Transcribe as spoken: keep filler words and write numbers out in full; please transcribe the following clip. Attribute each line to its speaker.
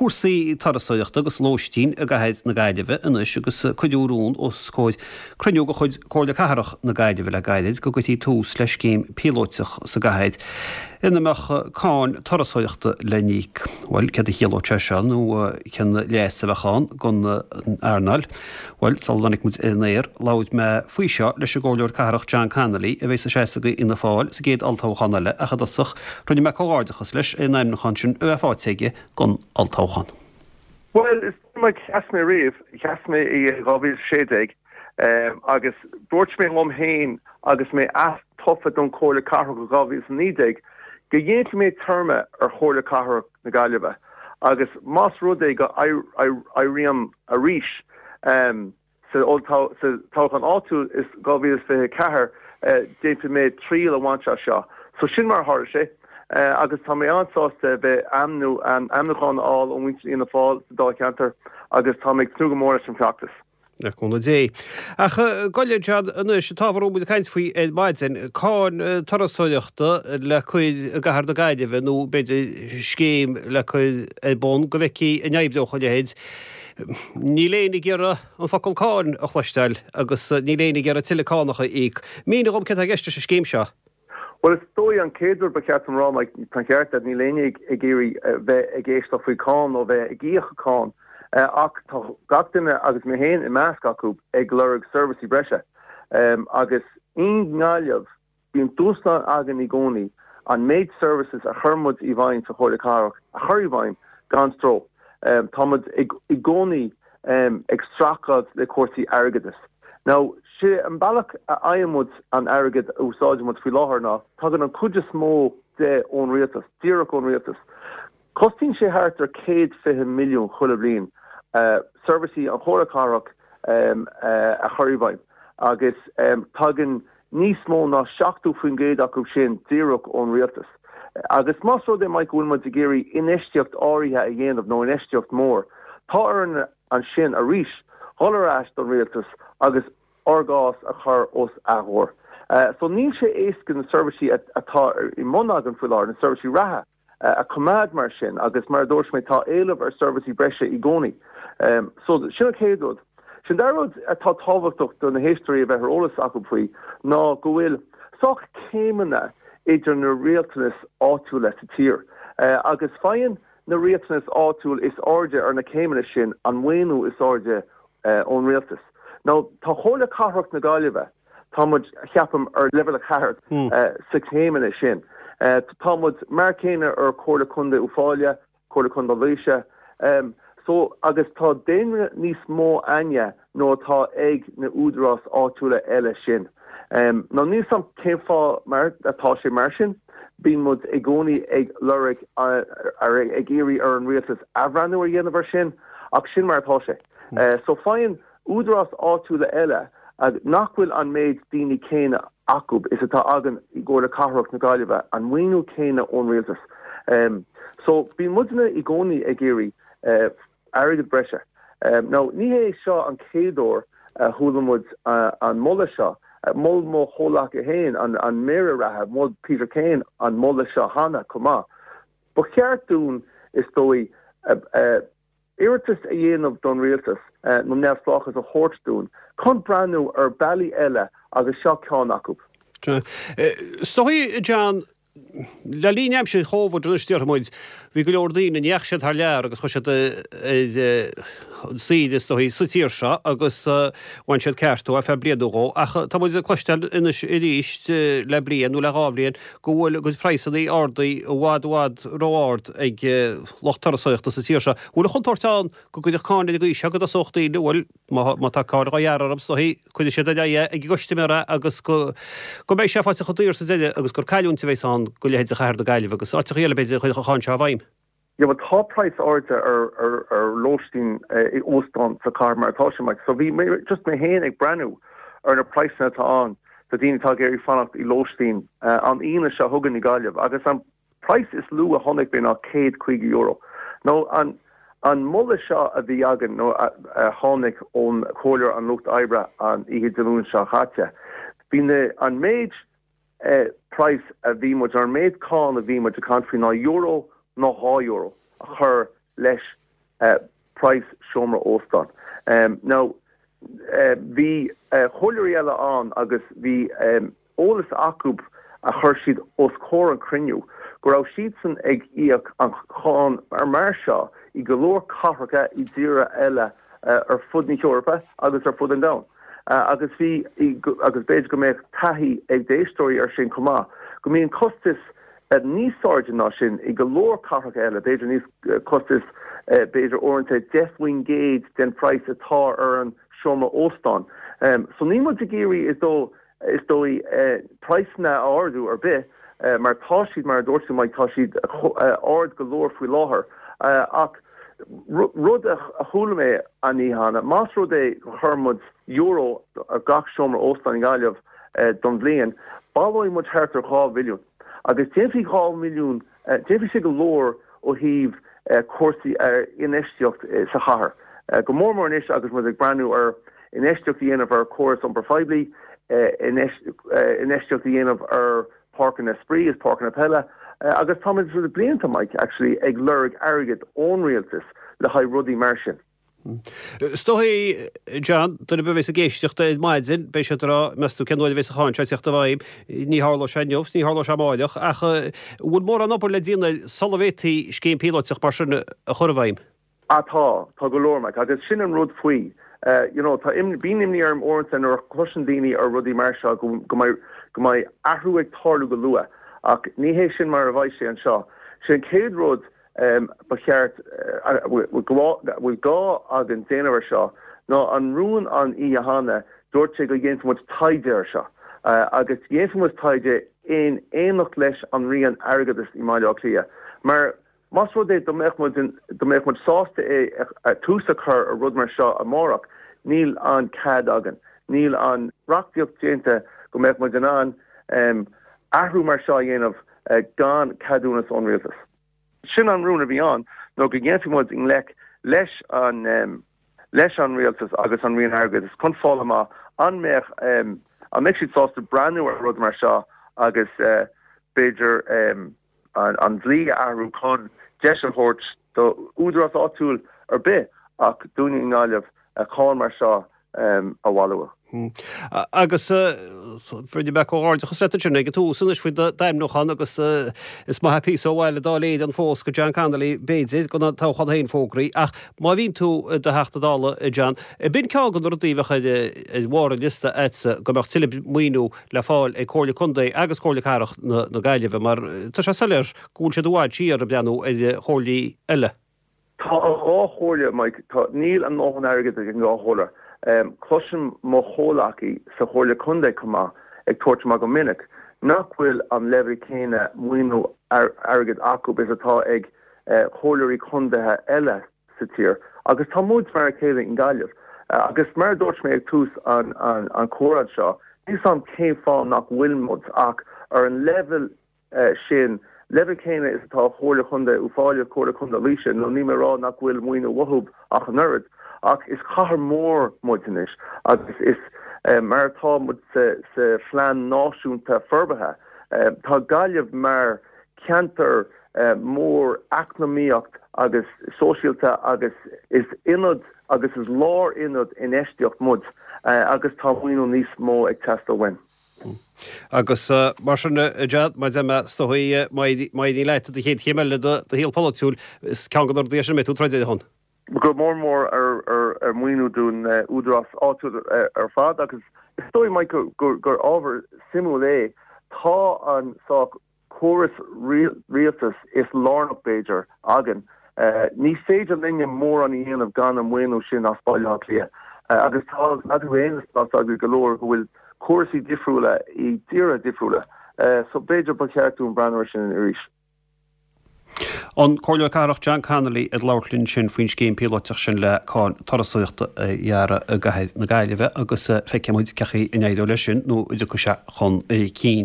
Speaker 1: cúrsaí turasóireachta agus lóistín i gcathair na Gaillimhe anois agus cuireadh rún os comhair cruinniú de chuid Comhairle Cathrach na Gaillimhe le gairid go gcuirfí tús le scéim píolóiteach sa gcathair ina mbeadh cáin turasóireachta le n-íoc. Bhuel, céard a chiallódh sé seo nó cén leas a bheadh ann don earnáil? Bhuel, sula dtáinig muid ar an aer, labhair mé faoi seo leis an gComhairleoir Cathrach John Connolly a bheas ag seasamh do Fhianna Fáil sa gcéad olltoghchán eile ach i dtosach rinne mé comhghairdeachas leis ar an ainmniúchán sin a bheith faighte aige don olltoghchán.
Speaker 2: Bhuel, is mar sheas mé riamh, sheas mé i dhá mhíle sé déag agus dúirt mé liom féin agus mé atofa don Chomhairle Cathrach i dhá mhíle is a naoi déag go ndéanfaidh mé téarma ar Chomhairle Cathrach na Gaillimhe agus más rud é go éirím arís sa toghchán áitiúil i dhá mhíle is fiche a ceathair déanfaidh mé triail a bhaint as seo. So sin mar a tharla sé agus tá mé an-sásta bheith ainmniú ainmniúchán a fháil ó mhuintir Fhianna Fáil sa Dáilcheantar agus tá mé ag tnúth go mór leis an bhfeachtas.
Speaker 1: Le cúnamh Dé. Ach gabh i leith, John, anois, an t-ábhar a raibh muid ag caint faoi ar maidin, cáin turasóireachta le cur i gcathair na Gaillimhe nó b'fhéidir scéim le cur ar bun go bhfeicfí an oibreodh a leithéid. Níl éinne ag iarraidh an focal cáin a chloisteáil agus níl éinne ag iarraidh tuilleadh cánach a íoc. Mínigh dhom céard atá i gceist leis an scéim seo.
Speaker 2: Bhuel, is dóigh an chéad rud ba cheart dom rá, Mike, tá an ceart agat, níl éinne ag iarraidh bheith ag éisteacht faoi cáin nó bheith ag íoc cáin, ach tá gach duine, agus mé féin i measc acu, ag lorg seirbhísí breise. Agus i nGaillimh, bíonn dúshlán againn i gcónaí an méid services a chuir muid i bhfeidhm sa Chomhairle Cathrach a chur i bhfeidhm gan stró. Tá muid i gcónaí ag streachailt le cúrsaí airgeadais. Now, sé an bealach a fhaigheann muid an airgead a úsáideann muid faoi láthair ná tagann an chuid is mó de ón rialtas, díreach ón rialtas. Cosnaíonn sé thart ar céad fiche milliún chuile bhliain seirbhísí an Chomhairle Cathrach a chur i bhfeidhm agus tagann níos mó ná seachtó faoin gcéad acu sin díreach ón rialtas. Agus más rud é, Mike, go bhfuil muid ag iarraidh infheistíocht áirithe a dhéanamh nó infheistíocht mór, tá orainn ansin arís dhul ar ais don rialtas agus ár gcás a chur os a gcomhair. So níl sé éasca na seirbhísí atá i mbun againn faoi láthair, na seirbhísí reatha, a choimeád mar sin agus mar a dúirt mé tá éileamh ar seirbhísí breise i gcónaí. So sin an chéad rud. Sin dara rud atá tábhachtach do na héisteoirí a bheith ar eolas acu faoi ná go bhfuil sách céimeanna idir na rialtanais áitiúla sa tír agus faigheann na rialtanais áitiúil is airde ar na céimeanna sin an maoiniú is airde ón rialtas. Now tá Comhairle Cathrach na Gaillimhe, tá muid, cheapaim, ar leibhéal a ceathair sa chéimeanna sin. Tá muid mar céanna ar Comhairle Contae Uíbh Fhailí, Comhairle Contae Laoise. So agus tá daonra níos mó againne ná atá ag na údarás áitiúla eile sin. Now níl 's a'm cén fáth mar atá sé mar sin. Bíonn muid i gcónaí ag lorg ag iarraidh ar an rialtas athbhreithniú a dhéanamh ar sin ach sin mar atá sé. So faigheann údarás áitiúla eile nach bhfuil an méid daoine céanna acu is atá againn i gComhairle Cathrach na Gaillimhe an maoiniú céanna ón rialtas. So bíonn muidne i gcónaí ag iarraidh airgead breise. Now ní hé seo an chéad uair a chuala muid an moladh seo. Mhol mo chomhleacaí féin, an Méara reatha, mhol Peter Kane an moladh seo cheana chomh maith. Ba cheart dúinn, is dóigh, iarratas a dhéanamh don rialtas nó neamhspleáchas a thabhairt dúinn chun breathnú ar bealaí eile agus seo ceann acu.
Speaker 1: Is dóigh, John, le linn aimsir Chóvid anois déarfaidh muid, bhí go leor daoine, ní dheachaigh siad thar lear agus chuaigh siad ar saoire is dóigh sa tír seo agus bhain siad ceart ar feadh bliain nó dhó ach tá muid ag cloisteáil anois arís le bliain nó le dhá bhliain go bhfuil a gcuid praghsanna ardaithe i bhfad i bhfad ró-ard ag lucht turasóireachta sa tír seo. Bhfuil an chontúirt ann go gcuirfeadh cáin ar an gcaoi seo go dtosódh daoine, bhuel, má tá cáin á ghearradh orm is dóigh, cuirfidh siad ar aghaidh é ag a gcustaiméir é agus go go mbeidh sé faighte chomh daor sa deireadh agus gur cailliúint a bheas ann do leithéid de chathair na Gaillimhe agus áiteacha eile b'fhéidir a chuirfeadh an cháin seo i bhfeidhm.
Speaker 2: Yeah, well tá praghas airde ar ar ar lóistín i óstán sa chathair mar atá sé, Mike. So bhí mé just mé féin ag breathnú ar na praghsanna atá ann do daoine atá ag iarraidh fanacht i lóistín an Aoine seo chugainn i Gaillimh agus an praghas is lú a chonaic mé ná céad caoga euro. Nó an an moladh seo a bhí againn nó a a tháinig ón Chomhairleoir an Lucht Oibre an oíche Dé Luain seo chaite, bhí na an méid praghas a bhí muid, an méid cáin a bhí muid ag caint faoi ná euro nó dhá euro a chur leis praghas seomra óstáin. Now, bhí comhairleoirí eile ann agus bhí eolas acu a chuir siad os comhair an chruinniú go raibh siadsan ag íoc an cháin mar seo i go leor cathracha i dtíortha eile ar fud na hEorpa agus ar fud an domhain. Agus bhí agus b'fhéidir go mbeadh taithí ag d'éisteoirí ar sin chomh maith, go mbíonn costais níos airde ná sin i go leor cathracha eile, b'fhéidir níos costas b'fhéidir uaireanta deich faoin gcéad den phraghas atá ar an seomra óstáin. So níl muid ag iarraidh is dóigh is dóigh praghsanna a ardú ar bith mar tá siad mar a dúirt tú Mike tá siad ard go leor faoi láthair ach rud a chuala mé an oíche cheana, más rud é go chuir muid euro ar gach seomra óstáin i nGaillimh don bhliain, baileoidh muid thart ar dhá mhilliún agus déanfaidh dhá mhilliún, déanfaidh sé go leor ó thaobh cúrsaí ar infheistíocht sa chathair. Go mór mór anois agus muid ag breathnú ar infheistíocht a dhéanamh ar chóras iompair phoiblí, infheistíocht a dhéanamh ar páirceanna spraoi is páirceanna peile agus táimid le blianta, Mike, actually ag lorg airgead ón rialtas le haghaidh rudaí mar sin.
Speaker 1: Is dóigh, John, duine ar bith a bheas ag éisteacht ar maidin, beidh siad ag rá, meas tú cén uair a bheas an cháin seo ag teacht i bhfeidhm? Ní tharlóidh sé inniu, ní tharlóidh sé amáireach, ach an bhfuil mórán obair le déanamh sula bhféadfaí scéim píolótach mar sin a chur i bhfeidhm?
Speaker 2: Ah tá, tá go leor, Mike, agus sin an rud faoi. You know, tá imní, bíonn imní orm uaireanta nuair a chloiseann daoine ar rudaí mar seo go, go mbeidh, go mbeidh athrú ag tarlú go luath, ach ní hé sin mar a bheidh sé anseo. Sé an chéad rud ba cheart, a bhfuil gá againn déanamh air seo ná an rún an oíche cheana, dúirt sé go ndéanfaidh muid taighde air seo agus dhéanfaidh muid taighde in éineacht leis an Roinn Airgeadais i mBaile Átha Cliath mar más rud é dá mbeadh muid dá mbeadh muid sásta é tús a chur ar rud mar seo amárach, níl an cead againn, níl an reachtaíocht déanta go mbeadh muid in ann athrú mar seo a dhéanamh gan ceadúnas ón rialtas. Sin an rún a bhí ann, nó go ndéanfaidh muid i ngleic leis an leis an rialtas agus an Roinn Airgeadais chun fáil amach an mbeadh an mbeadh siad sásta breathnú ar rud mar seo agus b'fhéidir an dlí a athrú chun deis a thabhairt do údarás áitiúil ar bith ach dúinne i nGaillimh cáin mar seo a bhailiú.
Speaker 1: Agus rinne mé comhghairdeachas leat ansin ag an tús anois faoi d'ainmniúchán agus is maith píosa ó bhaile dá léir an fós go John Connolly b'fhéidir gan an toghchán féin fógraithe ach má bhíonn tú i do Theachta Dála John, b'in ceann de na rudaí a bheadh ar bharr an liosta agatsa go mbeadh tuilleadh maoiniú le fáil ag Comhairle Contae agus Comhairle Cathrach na Gaillimhe mar tá sé soiléir go bhfuil siad i bhfad siar ag breathnú ar chomhairlí eile.
Speaker 2: Tá an dhá chomhairle, Mike, tá, níl a ndóthain airgid ag an dhá chomhairle. Cloisim mo chomhleacaí sa Chomhairle Contae chomh maith ag tabhairt amach go minic nach bhfuil an leibhéal céanna maoiniú airgid acu is atá ag comhairleoirí contaetha eile sa tír. Agus tá muid mar a chéile i nGaillimh. Agus mar a dúirt mé ag tús an chomhrá seo, níl 's a'm cén fáth nach bhfuil muid ach ar an leibhéal sin, leibhéal céanna is atá Comhairle Chontae Uíbh Fhailí, Comhairle Contae Laoise, nó níl mé ag rá nach bhfuil maoiniú uathu ach an oiread, ach is cathair mhór muid anois agus is mar atá muid sa phlean náisiúnta forbartha, tá Gaillimh mar cheantar mór eacnamaíocht agus sóisialta agus is ionad agus is lárionad infheistíocht muid agus tá maoiniú níos mó ag teastáil uainn.
Speaker 1: Agus mar sin, a John, mar a deir mé, is dóigh, má éiríonn leat do chéad chéim eile do shaol polaitiúil, is ceann de na rudaí é sin a mbeidh tú ag troid ar a shon.
Speaker 2: Go mór mór ar mhaoiniú don údarás áitiúil ar fad agus is dóigh, Mike, gur ábhar suimiúil é. Tá an sách córas rialtais is lárnach, b'fhéidir, againn. Ní féidir linne mórán a dhéanamh gan an maoiniú sin as Baile Átha Cliath. Agus tá a fhios againn tá a fhios agaibh go leor go bhfuil cúrsaí difriúla i dtíortha difriúla. So b'fhéidir ba cheart dúinn breathnú ar sin arís.
Speaker 1: An Comhairleoir Cathrach John Connolly ag labhairt linn ansin faoin scéim píolótach sin le cáin turasóireachta a ghearradh i gcathair na Gaillimhe agus feicfidh muid cén chaoi a n-éireoidh leis sin nó an dtiocfaidh sé chun cinn.